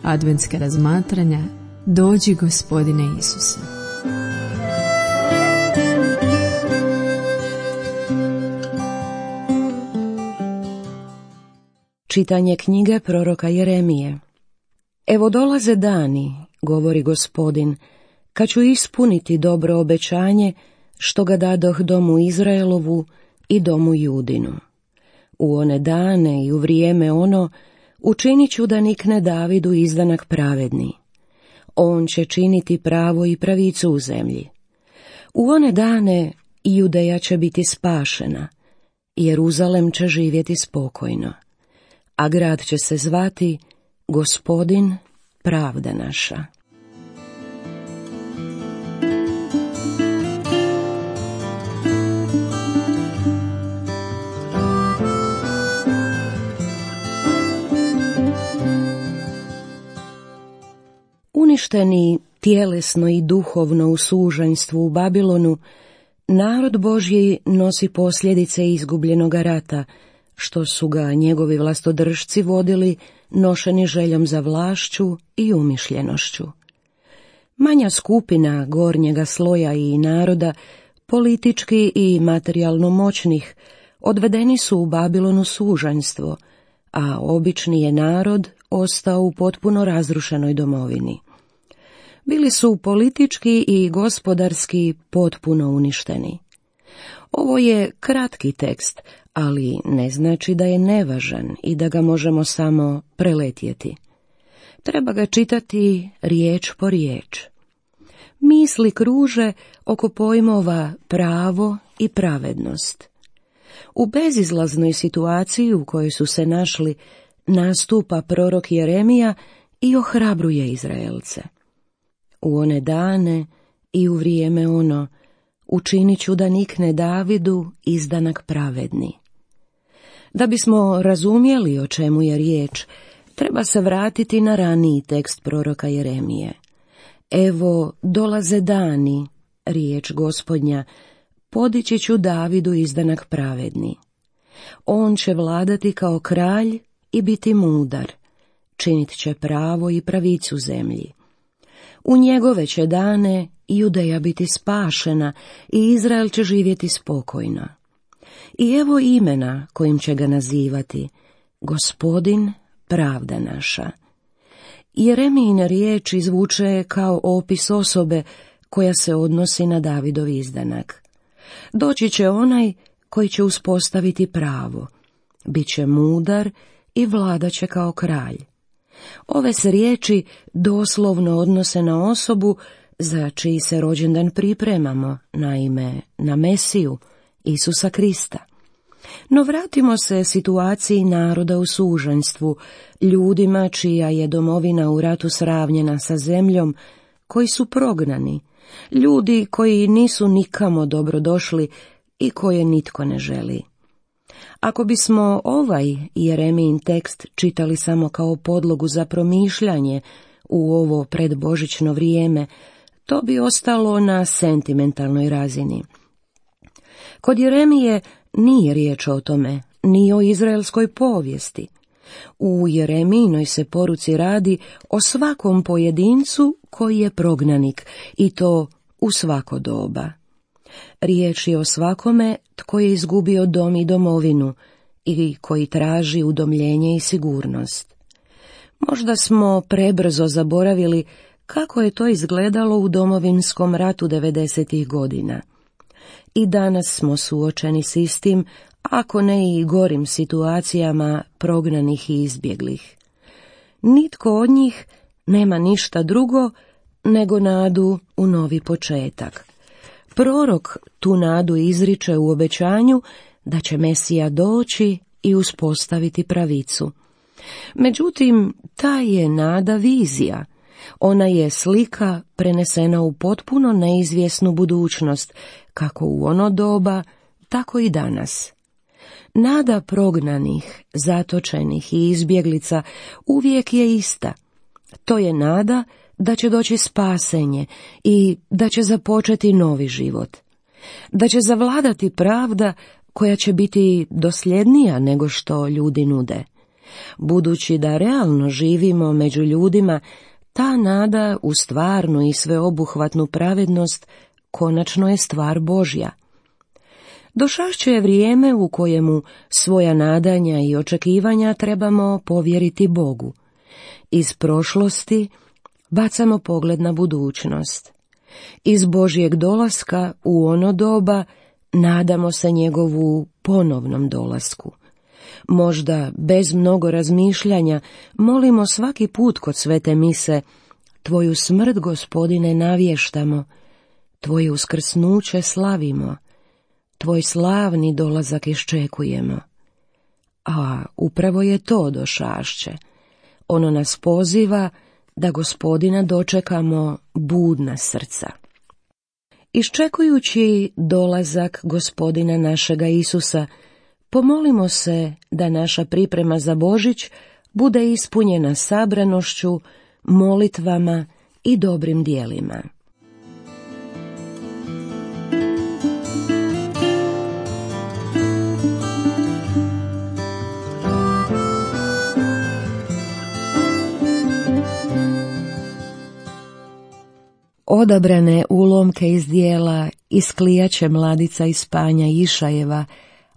adventska razmatranja Dođi Gospodine Isuse. Čitanje knjige proroka Jeremije. Evo dolaze dani, govori Gospodin, kad ću ispuniti dobro obećanje što ga dadoh domu Izraelovu i domu Judinu. U one dane i u vrijeme ono učinit ću da nikne Davidu izdanak pravedni. On će činiti pravo i pravicu u zemlji. U one dane Judeja će biti spašena, Jeruzalem će živjeti spokojno, a grad će se zvati Gospodin, pravda naša. Uništeni tjelesno i duhovno u sužanjstvu u Babilonu, narod Božji nosi posljedice izgubljenoga rata, što su ga njegovi vlastodržci vodili, nošeni željom za vlašću i umišljenošću. Manja skupina gornjega sloja i naroda, politički i materijalno moćnih, odvedeni su u Babilonu sužanjstvo, a obični je narod ostao u potpuno razrušenoj domovini. Bili su politički i gospodarski potpuno uništeni. Ovo je kratki tekst, ali ne znači da je nevažan i da ga možemo samo preletjeti. Treba ga čitati riječ po riječ. Misli kruže oko pojmova pravo i pravednost. U bezizlaznoj situaciji u kojoj su se našli, nastupa prorok Jeremija i ohrabruje Izraelce. U one dane i u vrijeme ono učinit ću da nikne Davidu izdanak pravedni. Da bismo razumjeli o čemu je riječ, treba se vratiti na raniji tekst proroka Jeremije. Evo dolaze dani, riječ Gospodnja, podići ću Davidu izdanak pravedni. On će vladati kao kralj i biti mudar, činit će pravo i pravicu zemlji. U njegove će dane Judeja biti spašena i Izrael će živjeti spokojno. I evo imena kojim će ga nazivati: Gospodin, pravda naša. Jeremijine riječi zvuče kao opis osobe koja se odnosi na Davidov izdanak. Doći će onaj koji će uspostaviti pravo, bit će mudar i vladat će kao kralj. Ove se riječi doslovno odnose na osobu za čiji se rođendan pripremamo, naime na Mesiju, Isusa Krista. No vratimo se situaciji naroda u sužanjstvu, ljudima čija je domovina u ratu sravnjena sa zemljom, koji su prognani, ljudi koji nisu nikamo dobrodošli i koje nitko ne želi. Ako bismo ovaj Jeremijin tekst čitali samo kao podlogu za promišljanje u ovo predbožićno vrijeme, to bi ostalo na sentimentalnoj razini. Kod Jeremije nije riječ o tome, ni o izraelskoj povijesti. U Jeremijinoj se poruci radi o svakom pojedincu koji je prognanik, i to u svako doba. Riječ je o svakome tko je izgubio dom i domovinu i koji traži udomljenje i sigurnost. Možda smo prebrzo zaboravili kako je to izgledalo u domovinskom ratu 90-ih godina. I danas smo suočeni s istim, ako ne i gorim situacijama prognanih i izbjeglih. Nitko od njih nema ništa drugo nego nadu u novi početak. Prorok tu nadu izriče u obećanju da će Mesija doći i uspostaviti pravicu. Međutim, ta je nada vizija. Ona je slika prenesena u potpuno neizvjesnu budućnost, kako u ono doba, tako i danas. Nada prognanih, zatočenih i izbjeglica uvijek je ista. To je nada da će doći spasenje i da će započeti novi život. Da će zavladati pravda koja će biti dosljednija nego što ljudi nude. Budući da realno živimo među ljudima, ta nada u stvarnu i sveobuhvatnu pravednost konačno je stvar Božja. Došašće je vrijeme u kojemu svoja nadanja i očekivanja trebamo povjeriti Bogu. Iz prošlosti bacamo pogled na budućnost. Iz Božjeg dolaska u ono doba nadamo se njegovu ponovnom dolasku. Možda bez mnogo razmišljanja molimo svaki put kod svete mise: Tvoju smrt, Gospodine, navještamo, Tvoje uskrsnuće slavimo, Tvoj slavni dolazak iščekujemo. A upravo je to došašće. Ono nas poziva da Gospodina dočekamo budna srca. Iščekujući dolazak Gospodina našega Isusa, pomolimo se da naša priprema za Božić bude ispunjena sabranošću, molitvama i dobrim djelima. Odabrane ulomke iz dijela Isklijaće mladica iz Panja Išajeva,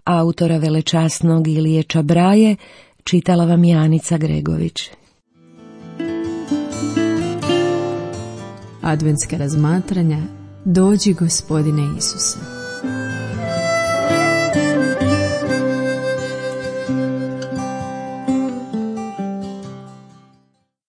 autora velečasnog Ilije Čabraje, čitala vam Janica Gregović. Adventska razmatranja Dođi, Gospodine Isuse.